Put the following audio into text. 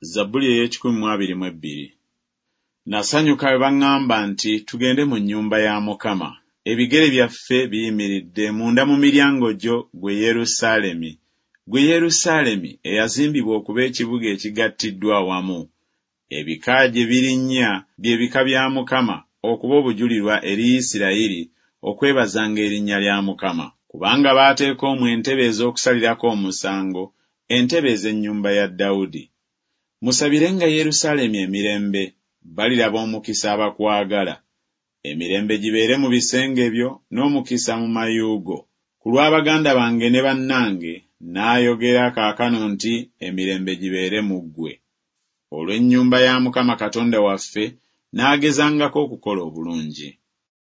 Zabbuli ey'ekikumi mu abiri mu ebbiri. Nasanyuka bwe baŋŋamba nti, Tugende mu nnyumba ya Mukama. Ebigere byaffe biyimiridde munda mu miryango gyo, ggwe Yerusaalemi, ggwe Yerusaalemi eyazimbibwa okuba ekibuga ekigattiddwa awamu, ebika gye birinnya bye bika bya Mukama okuba obujulirwa eri Isirayiri okwebazanga erinnya lya Mukama. Kubanga baateeka omwo entebe ez'okusalirako omusango, entebe ez'ennyumba ya Dawudi. Musabirenga Yerusaalemi emirembe, baliraba omukisa abakwagala. Emirembe gibeere mu bisenge byo n'omukisa mu mayu go. Ku lwa baganda bange ne bannange naayogera kaakano nti Emirembe gibeere mu ggwe. Olw'ennyumba ya Mukama Katonda waffe naagezangako okukola obulungi.